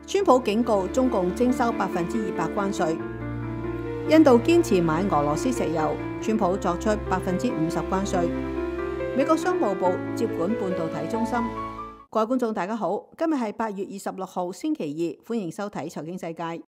川普警告中共徵收200%關稅。印度堅持買俄羅斯石油，川普作出50%關稅。美國商務部接管半導體中心。各位觀眾大家好，今日係8月26號星期二，歡迎收睇財經世界。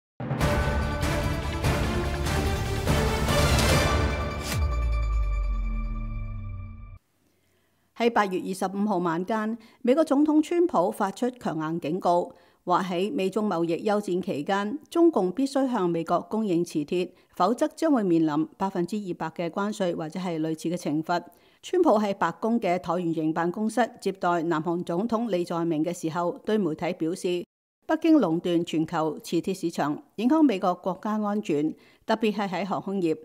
喺8月25號晚間，美國總統川普發出強硬警告，話喺美中貿易休戰期間，中共必須向美國供應磁鐵，否則將會面臨200%嘅關稅或者係類似嘅懲罰。川普喺白宮嘅橢圓形辦公室接待南韓總統李在明嘅時候，對媒體表示，北京壟斷全球磁鐵市場，影響美國國家安全，特別係喺航空業。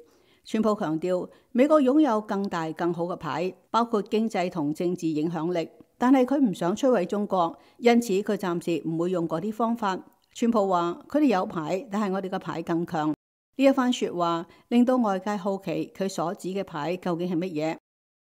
川普強調，美國擁有更大更好嘅牌，包括經濟同政治影響力，但係佢唔想摧毀中國，因此佢暫時唔會用嗰啲方法。川普話：佢哋有牌，但係我哋嘅牌更強。呢一番說話令到外界好奇佢所指嘅牌究竟係乜嘢。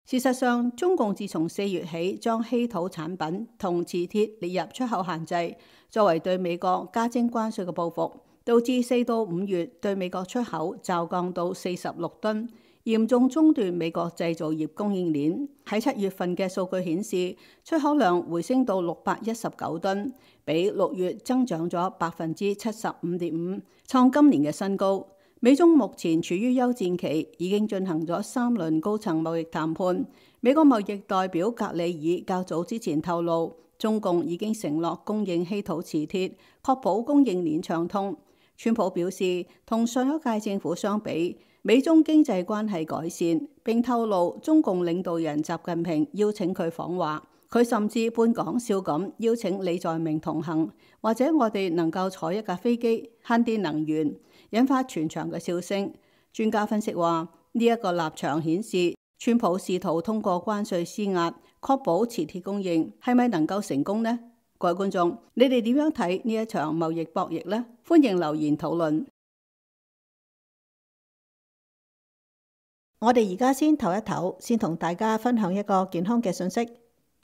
事實上，中共自從4月起將稀土產品同磁鐵列入出口限制，作為對美國加徵關稅嘅報復，導致4到5月對美國出口驟降到46噸，嚴重中斷美國製造業供應鏈。喺7月份嘅數據顯示，出口量回升到619噸，比6月增長咗75.5%，創今年嘅新高。美中目前處於休戰期，已經進行咗3輪高層貿易談判。美國貿易代表格里爾較早之前透露，中共已經承諾供應稀土磁鐵，確保供應鏈暢通。川普表示，同上一屆政府相比，美中經濟關係改善，並透露中共領導人習近平邀請佢訪華。佢甚至半講笑咁邀請李在明同行，或者我哋能夠坐一架飛機慳啲能源，引發全場嘅笑聲。專家分析話，呢一個立場顯示川普試圖通過關稅施壓，確保磁鐵供應，係咪能夠成功呢？各位觀眾，你哋點樣睇呢一場貿易博弈呢？歡迎留言討論。我哋而家先唞一唞，先同大家分享一個健康嘅信息。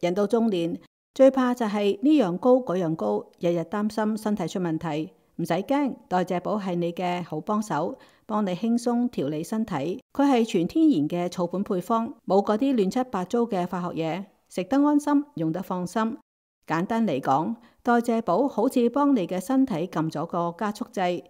人到中年，最怕就係呢樣高嗰樣高，日日擔心身體出問題。唔使驚，代謝寶係你嘅好幫手，幫你輕鬆調理身體。佢係全天然嘅草本配方，冇嗰啲亂七八糟嘅化學嘢，食得安心，用得放心。簡單嚟講，代謝寶好似幫你嘅身體撳咗個加速掣，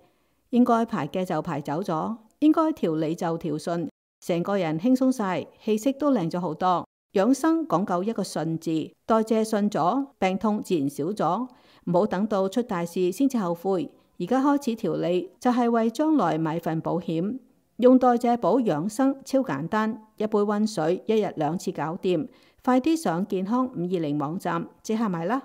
應該排嘅就排走咗，應該調理就調順，成個人輕鬆晒，氣色都靚咗好多。養生講究一個順字，代謝順咗，病痛自然少咗。唔好等到出大事先至後悔，而家開始調理就係為將來買份保險。用代謝寶養生超簡單，一杯溫水，1日2次搞掂。快啲上健康520網站即刻買啦！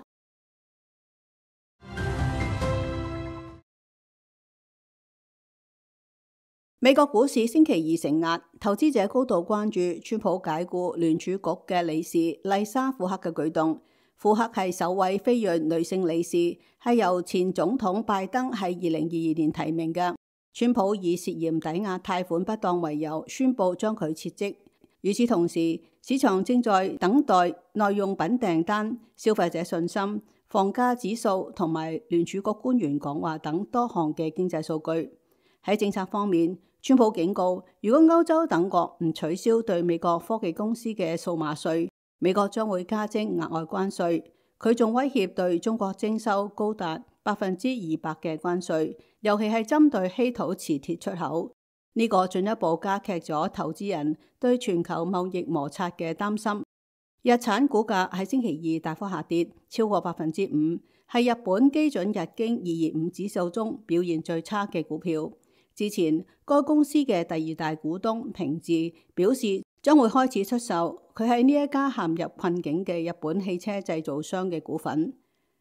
美國股市星期二承壓，投資者高度關注川普解雇聯儲局嘅理事麗莎庫克嘅舉動。庫克係首位非裔女性理事，係由前總統拜登喺2022年提名嘅。川普以涉嫌抵押貸款不當為由，宣布將佢撤職。與此同時，市場正在等待耐用品訂單、消費者信心、房價指數同埋聯儲局官員講話等多項嘅經濟數據。喺政策方面，川普警告，如果歐洲等國唔取消對美國科技公司嘅數碼稅，美國將會加徵額外關稅。佢仲威脅對中國徵收高達200%嘅關稅，尤其係針對稀土磁鐵出口。呢個進一步加劇咗投資人對全球貿易摩擦嘅擔心。日產股價喺星期二大幅下跌，超過5%，係日本基準日經225指數中表現最差嘅股票。之前，該公司嘅第2大股東平治表示將會開始出售佢喺呢一家陷入困境嘅日本汽車製造商嘅股份。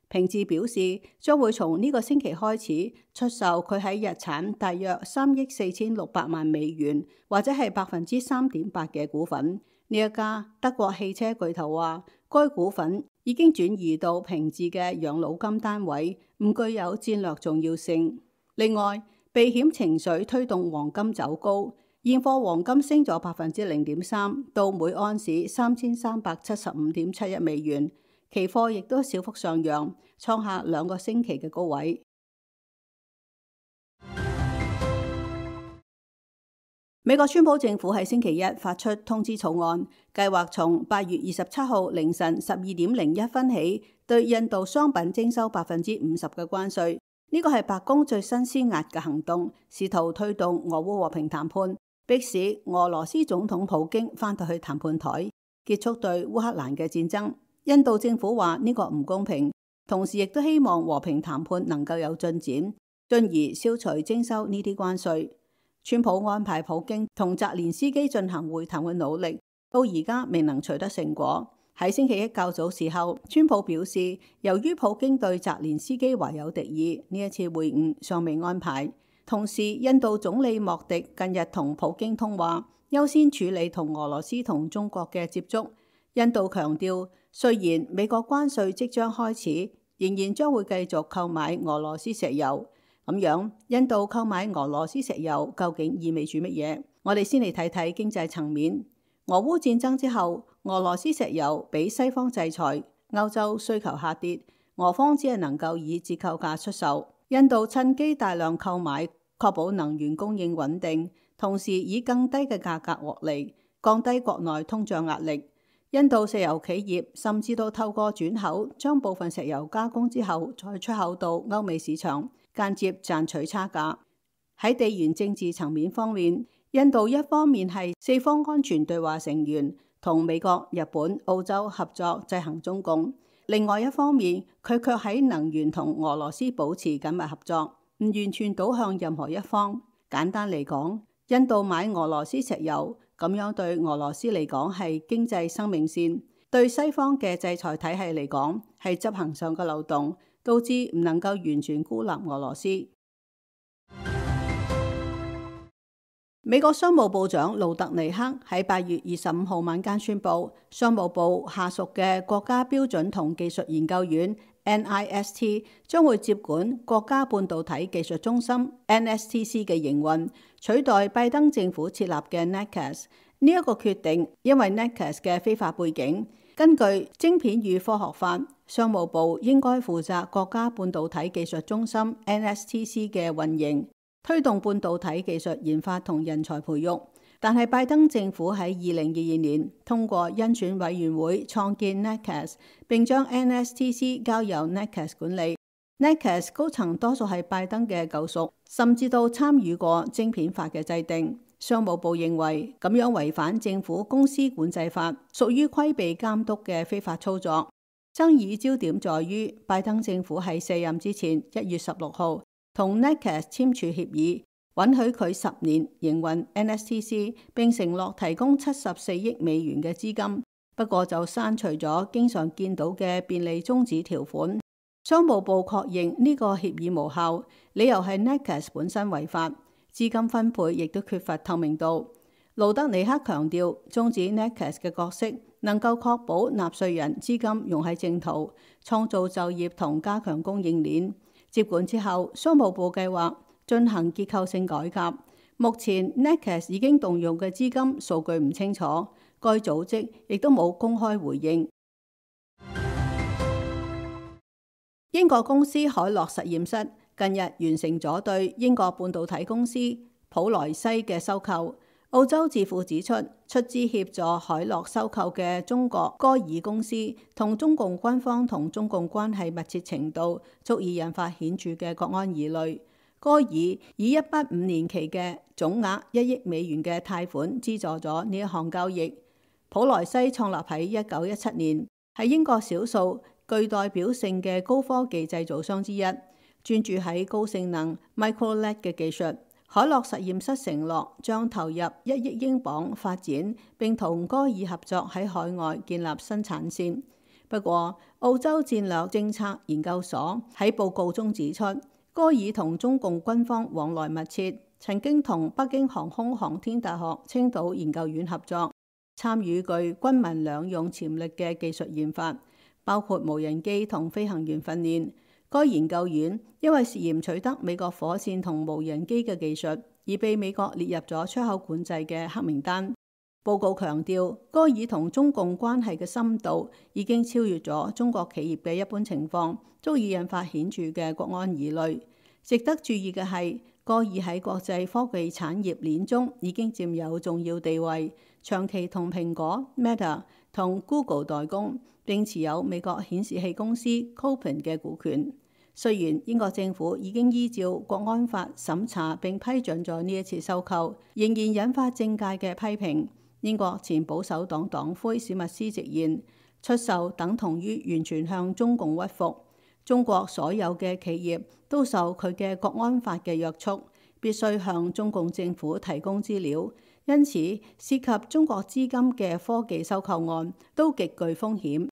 平治表示將會從呢個星期開始出售佢喺日產大約3億4600萬美元，或者係3.8%嘅股份。呢一家德國汽車巨頭話，該股份已經轉移到平治嘅養老金單位，唔具有戰略重要性。另外，避險情緒推動黃金走高，現貨黃金升咗0.3%到每安士3375.71美元，期貨亦都小幅上揚，創下2個星期嘅高位。美國川普政府喺星期一發出通知草案，計劃從8月27號凌晨12:01起對印度商品徵收50%嘅關稅。呢個係白宮最新施壓嘅行動，試圖推動俄烏和平談判，迫使俄羅斯總統普京返到去談判台，結束對烏克蘭嘅戰爭。印度政府話呢個唔公平，同時亦都希望和平談判能夠有進展，進而消除徵收呢啲關稅。川普安排普京同澤連斯基進行會談嘅努力，到而家未能取得成果。喺星期一較早時候，川普表示，由於普京對澤連斯基懷有敵意，呢一次會晤尚未安排。同時，印度總理莫迪近日同普京通話，優先處理同俄羅斯同中國嘅接觸。印度強調，雖然美國關稅即將開始，仍然將會繼續購買俄羅斯石油。咁樣，印度購買俄羅斯石油究竟意味住乜嘢？我哋先嚟睇睇經濟層面。俄烏戰爭之後，俄羅斯石油被西方制裁，歐洲需求下跌，俄方只係能夠以折扣價出售。印度趁機大量購買，確保能源供應穩定，同時以更低嘅價格獲利，降低國內通脹壓力。印度石油企業甚至都透過轉口，將部分石油加工之後再出口到歐美市場，間接賺取差價。喺地緣政治層面方面，印度一方面係四方安全對話成員，同美國、日本、澳洲合作制衡中共；另外一方面，佢卻喺能源同俄羅斯保持緊密合作，唔完全倒向任何一方。簡單嚟講，印度買俄羅斯石油，咁樣對俄羅斯嚟講係經濟生命線，對西方嘅制裁體系嚟講係執行上嘅漏洞，導致唔能夠完全孤立俄羅斯。美國商務部長盧特尼克喺8月25號晚間宣布，商務部下屬嘅國家標準同技術研究院 NIST 將會接管國家半導體技術中心 NSTC 嘅營運，取代拜登政府設立嘅 NACS。呢一個決定因為 NACS 嘅非法背景。根據晶片與科學法，商務部應該負責國家半導體技術中心 NSTC 嘅運營，推動半導體技術研發同人才培育。但係拜登政府喺2022年通過甄選委員會創建 NACS， 並將 NSTC 交由 NACS 管理。NACS 高層多數係拜登嘅舊屬，甚至都參與過晶片法嘅制定。商務部認為咁樣違反政府公司管制法，屬於規避監督嘅非法操作。爭議焦點在於拜登政府喺卸任之前1月16號同 NACS 簽署協議，允許佢10年營運 NSTC， 並承諾提供74億美元嘅資金。不過就刪除咗經常見到嘅便利終止條款。商務部確認呢個協議無效，理由係 NACS 本身違法，資金分配亦都缺乏透明度。盧德尼克強調，終止 NACS 嘅角色能夠確保納稅人資金用喺正途，創造就業同加強供應鏈。接管之後，商務部計劃進行結構性改革。目前 NACS 已經動用嘅資金數據唔清楚，該組織亦都冇公開回應。英國公司海洛實驗室近日完成咗對英國半導體公司普萊西嘅收購。澳洲智庫指出，出資協助海洛收購嘅中國歌爾公司同中共軍方同中共關係密切程度，足以引發顯著嘅國安疑慮。歌爾以一筆5年期嘅總額1億美元嘅貸款資助咗呢一項交易。普萊西創立喺1917年，係英國少數具代表性嘅高科技製造商之一，專注喺高性能 micro-LED 嘅技術。海洛實驗室承諾將投入1億英鎊發展，並同歌爾合作喺海外建立生產線。不過，澳洲戰略政策研究所喺報告中指出，歌爾同中共軍方往來密切，曾經同北京航空航天大學青島研究院合作，參與具軍民兩用潛力嘅技術研發，包括無人機同飛行員訓練。該研究院因為涉嫌取得美國火箭同無人機嘅技術，而被美國列入咗出口管制嘅黑名單。報告強調，歌爾同中共關係嘅深度已經超越咗中國企業嘅一般情況，足以引發顯著嘅國安疑慮。值得注意嘅係，歌爾喺國際科技產業鏈中已經佔有重要地位，長期同蘋果、Meta 同 Google 代工，並持有美國顯示器公司 Kopin 嘅股權。雖然英國政府已經依照國安法審查並批准咗呢一次收購，仍然引發政界嘅批評。英國前保守黨黨魁史密斯直言，出售等同於完全向中共屈服。中國所有嘅企業都受佢嘅國安法嘅約束，必須向中共政府提供資料，因此涉及中國資金嘅科技收購案都極具風險。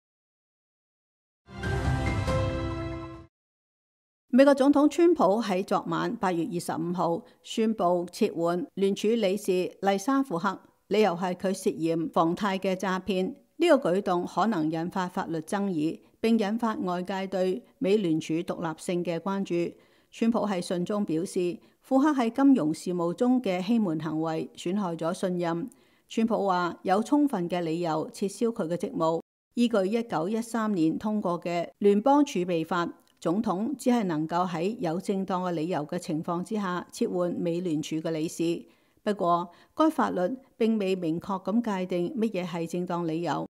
美國總統川普喺昨晚8月25號宣布撤換聯儲理事麗莎庫克，理由係佢涉嫌房貸嘅詐騙。呢個舉動可能引發法律爭議，並引發外界對美聯儲獨立性嘅關注。川普喺信中表示，庫克喺金融事務中嘅欺瞞行為損害咗信任。川普話有充分嘅理由撤銷佢嘅職務，依據1913年通過嘅聯邦儲備法。總統只係能夠喺有正當嘅理由嘅情況之下撤換美聯儲嘅理事。不過，該法律並未明確咁界定乜嘢係正當理由。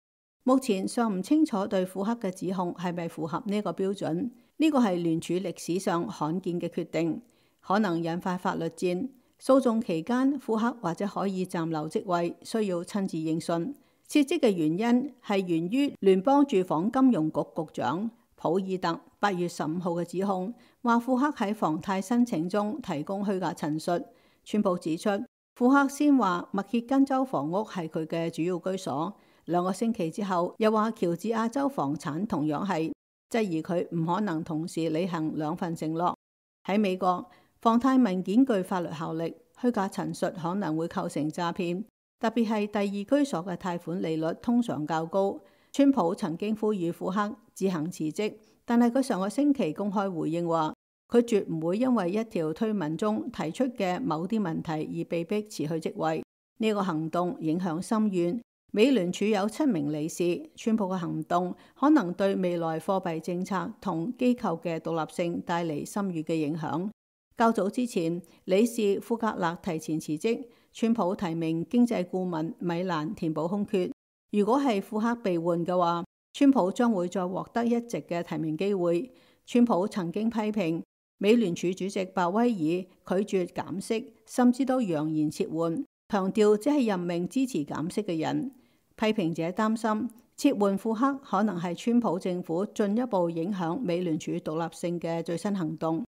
目前尚唔清楚對庫克嘅指控係咪符合呢個標準。呢個係聯儲歷史上罕見嘅決定，可能引發法律戰。訴訟期間，庫克或者可以暫留職位，需要親自應訊。撤職嘅原因係源於聯邦住房金融局局長普爾特8月15號嘅指控，話庫克喺房貸申請中提供虛假陳述。川普指出，庫克先話密歇根州房屋係佢嘅主要居所，2個星期之後又話喬治亞州房產同樣係，質疑佢唔可能同時履行2份承諾。喺美國，房貸文件具法律效力，虛假陳述可能會構成詐騙，特別係第二居所嘅貸款利率通常較高。川普曾經呼籲庫克自行辭職，但係佢上個星期公開回應話，佢絕唔會因為一條推文中提出嘅某啲問題而被迫辭去職位。呢個行動影響深遠。美聯儲有7名理事，川普嘅行動可能對未來貨幣政策同機構嘅獨立性帶嚟深遠嘅影響。較早之前，理事庫格勒提前辭職，川普提名經濟顧問米蘭填補空缺。如果係庫克被換嘅話，川普將會再獲得一席嘅提名機會。川普曾經批評美聯儲主席鮑威爾拒絕減息，甚至都揚言撤換，強調只係任命支持減息嘅人。批評者擔心撤換庫克可能係川普政府進一步影響美聯儲獨立性嘅最新行動。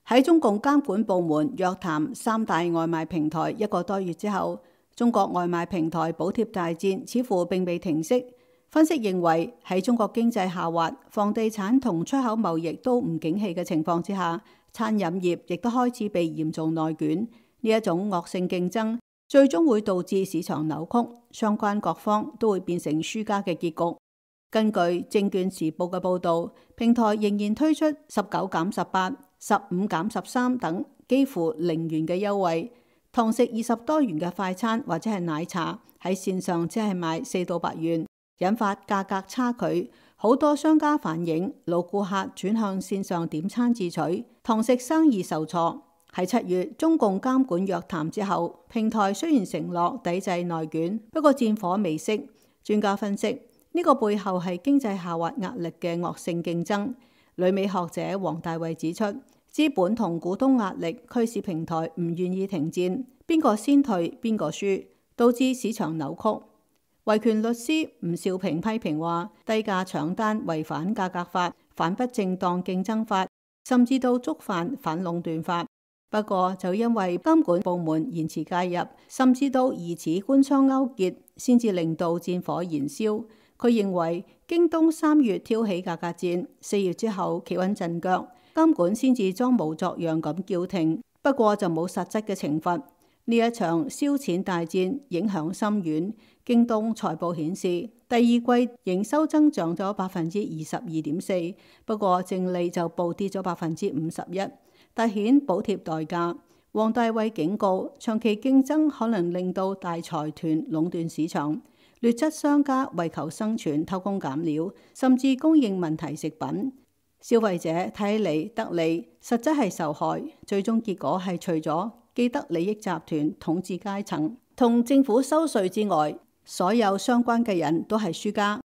喺中共監管部門約談3大外賣平台1個多月之後，中國外賣平台補貼大戰似乎並未停息。分析認為，喺中國經濟下滑、房地產同出口貿易都唔景氣嘅情況之下，餐飲業亦都開始被嚴重內捲。呢一種惡性競爭最終會導致市場扭曲，相關各方都會變成輸家嘅結局。根據《證券時報》嘅報導，平台仍然推出19減18、15減13等幾乎0元嘅優惠，堂食20多元嘅快餐或者係奶茶喺線上只係賣4到8元，引發價格差距。好多商家反映老顧客轉向線上點餐自取，堂食生意受挫。喺7月中共監管約談之後，平台雖然承諾抵制內捲，不過戰火未熄。專家分析，呢個背後係經濟下滑壓力嘅惡性競爭。旅美學者黃大衛指出，資本同股東壓力驅使平台唔願意停戰，邊個先退邊個輸，導致市場扭曲。維權律師吳少平批評話，低價搶單違反價格法、反不正當競爭法，甚至到觸犯反壟斷法。不過就因為監管部門延遲介入，甚至到疑似官商勾結，先至令到戰火燃燒。佢認為京東3月挑起價格戰，4月之後企穩陣腳，監管先至裝模作樣咁叫停，不過就冇實質嘅懲罰。呢一場燒錢大戰影響深遠。京東財報顯示，第二季營收增長咗22.4%，不過淨利就暴跌咗51%，凸顯補貼代價。黃大衛警告，長期競爭可能令到大財團壟斷市場。劣質商家為求生存偷工減料，甚至供應問題食品。消費者睇嚟得利，實質係受害。最終結果係除咗既得利益集團統治階層同政府收稅之外，所有相關嘅人都係輸家。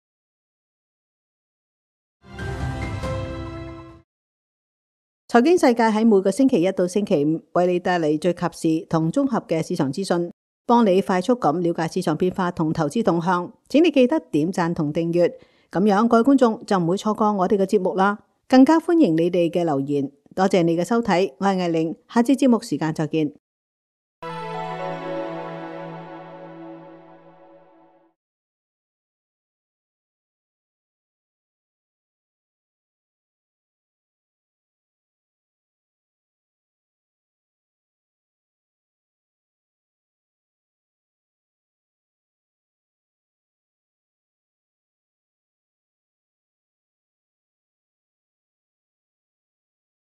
財經世界喺每個星期一到星期五為你帶嚟最及時同綜合嘅市場資訊，幫你快速咁了解市場變化同投資動向。請你記得點讚同訂閱，咁樣各位觀眾就唔會錯過我哋嘅節目啦。更加歡迎你哋嘅留言。多謝你嘅收睇，我係艾玲，下次節目時間再見。